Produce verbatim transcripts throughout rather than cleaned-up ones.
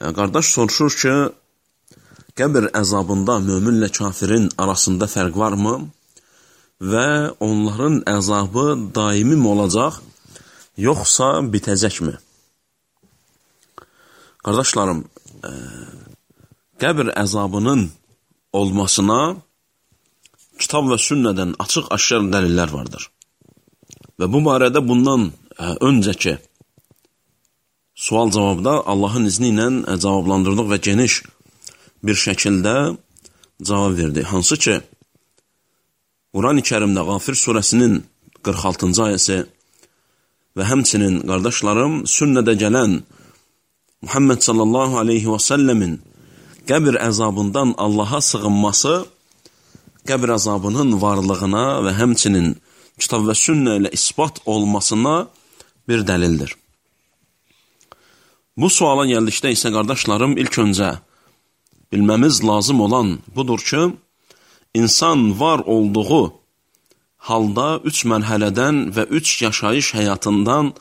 Qardaş soruşur ki, qəbir əzabında möminlə kafirin arasında fərq varmı və onların əzabı daimi mi olacaq, yoxsa bitəcəkmi? Qardaşlarım, e, qəbir əzabının olmasına kitab və sünnədən açıq-aşkar dəlillər vardır. Və bu barədə bundan e, öncəki sual-cavabda Allahın izni ilə cavablandırdıq və geniş bir şəkildə cavab verdi. Hansı ki, Quran-ı Kərimdə Qafir surəsinin qırx altıncı ayəsi və həmçinin, qardaşlarım, sünnədə gələn Muhammed sallallahu aleyhi və səlləmin qəbir əzabından Allaha sığınması, qəbir əzabının varlığına və həmçinin kitab və sünnə ilə isbat olmasına bir dəlildir. Bu suala gəldikdə isə, qardaşlarım, ilk öncə bilməmiz lazım olan budur ki, insan var olduğu halda üç mərhələdən və üç yaşayış həyatından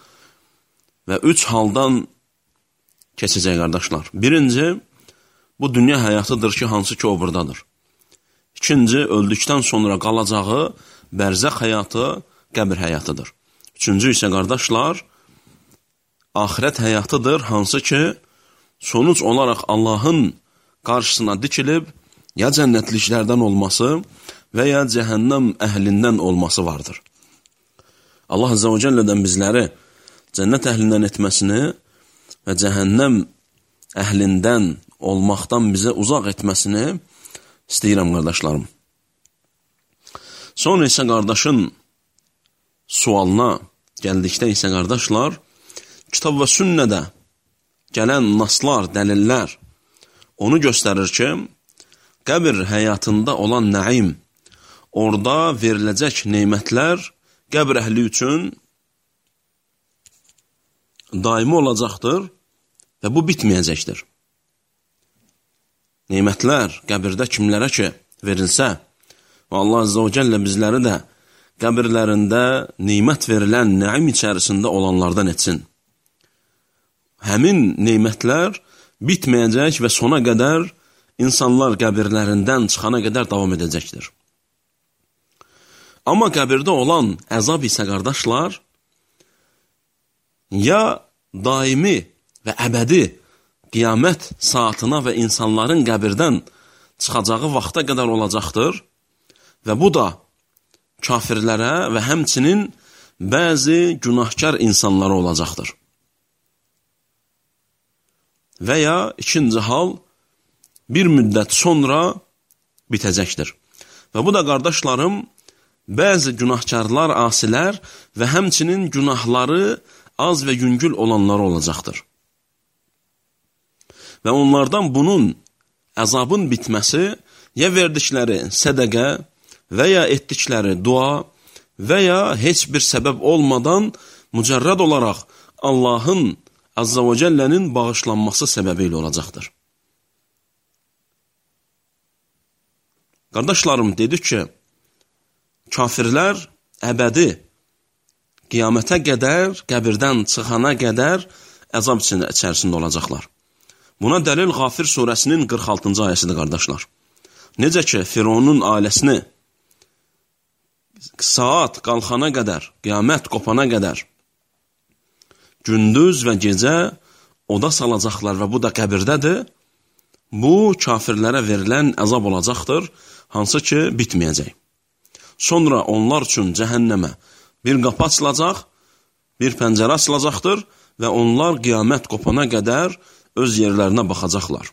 və üç haldan keçəcək, qardaşlar. Birinci, bu dünya həyatıdır ki, hansı ki o buradadır. İkinci, öldükdən sonra qalacağı bərzəx həyatı, qəbir həyatıdır. Üçüncü isə, qardaşlar, axirət həyatıdır, hansı ki, sonuc olaraq Allahın qarşısına dikilib, ya cənnətliklərdən olması və ya cəhənnəm əhlindən olması vardır. Allah Azze və Cəllədən bizləri cənnət əhlindən etməsini və cəhənnəm əhlindən olmaqdan bizə uzaq etməsini istəyirəm, qardaşlarım. Sonra isə qardaşın sualına gəldikdə isə, qardaşlar, kitab və sünnədə gələn naslar, dəlillər onu göstərir ki, qəbir həyatında olan nəim, orada veriləcək neymətlər qəbir əhli üçün daimi olacaqdır və bu bitməyəcəkdir. Neymətlər qəbirdə kimlərə ki verilsə və Allah Azze və Cəllə bizləri də qəbirlərində neymət verilən nəim içərisində olanlardan etsin. Həmin neymətlər bitməyəcək və sona qədər insanlar qəbirlərindən çıxana qədər davam edəcəkdir. Amma qəbirdə olan əzab isə, qardaşlar, ya daimi və əbədi qiyamət saatına və insanların qəbirdən çıxacağı vaxta qədər olacaqdır və bu da kafirlərə və həmçinin bəzi günahkar insanlara olacaqdır. Və ya ikinci hal bir müddət sonra bitəcəkdir. Və bu da, qardaşlarım, bəzi günahkarlar, asilər və həmçinin günahları az və yüngül olanları olacaqdır. Və onlardan bunun əzabın bitməsi ya verdikləri sədəqə və ya etdikləri dua və ya heç bir səbəb olmadan mücərrəd olaraq Allahın Azza və Cəllənin bağışlanması səbəbi ilə olacaqdır. Qardaşlarım, dedik ki, kafirlər əbədi qiyamətə qədər, qəbirdən çıxana qədər əzab içərisində olacaqlar. Buna dəlil Qafir surəsinin qırx altıncı ayəsidir, qardaşlar. Necə ki, Fironun ailəsini saat qalxana qədər, qiyamət qopana qədər gündüz və gecə oda salacaqlar və bu da qəbirdədir. Bu, kafirlərə verilən əzab olacaqdır, hansı ki, bitməyəcək. Sonra onlar üçün cəhənnəmə bir qapı açılacaq, bir pəncərə açılacaqdır və onlar qiyamət qopana qədər öz yerlərinə baxacaqlar.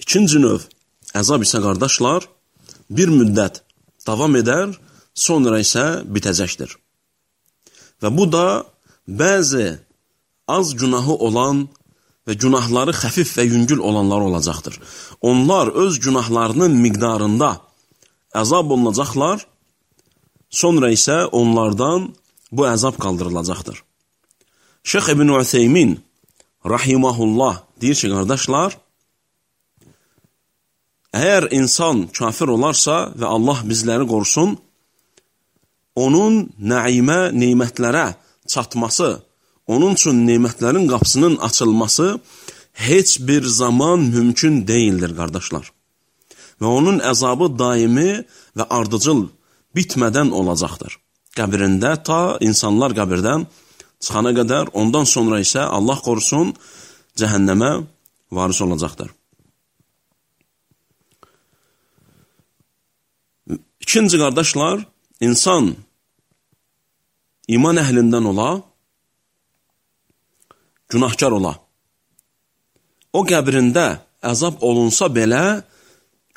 İkinci növ əzab isə, qardaşlar, bir müddət davam edər, sonra isə bitəcəkdir. Və bu da bəzi az günahı olan və günahları xəfif və yüngül olanlar olacaqdır. Onlar öz günahlarının miqdarında əzab olunacaqlar, sonra isə onlardan bu əzab qaldırılacaqdır. Şeyx İbn Ütheymin rahimahullah deyir ki, qardaşlar, əgər insan kafir olarsa və Allah bizləri qorusun, onun nəimə, neymətlərə çatması onun üçün nemətlərin qapısının açılması heç bir zaman mümkün deyildir, qardaşlar. Və onun əzabı daimi və ardıcıl bitmədən olacaqdır. Qəbrində ta insanlar qəbirdən çıxana qədər, ondan sonra isə Allah qorusun cəhənnəmə varis olacaqdır. İkinci qardaşlar, insan iman əhlindən ola, günahkar ola. O qəbrində əzab olunsa belə,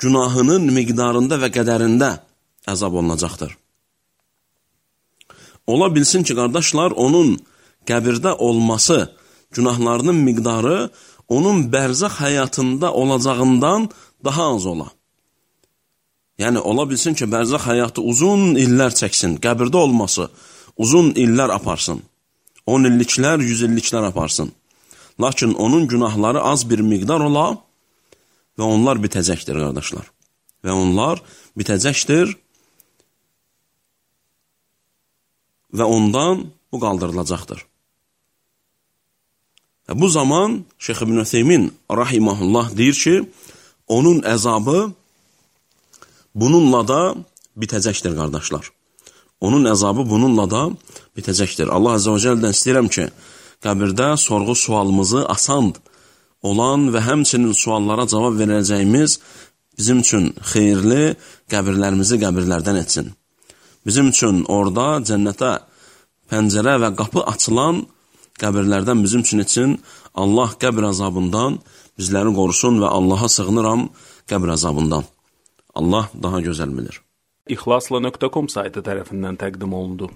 günahının miqdarında və qədərində əzab olunacaqdır. Ola bilsin ki, qardaşlar, onun qəbirdə olması, günahlarının miqdarı onun bərzəx həyatında olacağından daha az ola. Yəni, ola bilsin ki, bərzəx həyatı uzun illər çəksin, qəbirdə olması uzun illər aparsın, on illiklər, yüz illiklər aparsın. Lakin onun günahları az bir miqdar ola və onlar bitəcəkdir, qardaşlar. Və onlar bitəcəkdir və ondan bu qaldırılacaqdır. Və bu zaman Şeyx İbn Ütheymin rahiməhullah deyir ki, onun əzabı bununla da bitəcəkdir, qardaşlar. Onun əzabı bununla da bitəcəkdir. Allah Azə və Cəllədən istəyirəm ki, qəbirdə sorğu sualımızı asan olan və həmçinin suallara cavab verəcəyimiz bizim üçün xeyirli qəbirlərimizi qəbirlərdən etsin. Bizim üçün orada cənnətə pəncərə və qapı açılan qəbirlərdən bizim üçün etsin. Allah qəbir azabından bizləri qorusun və Allaha sığınıram qəbir azabından. Allah daha gözəl bilir. İxlasla nöqtə com saytı tərəfindən təqdim olundu.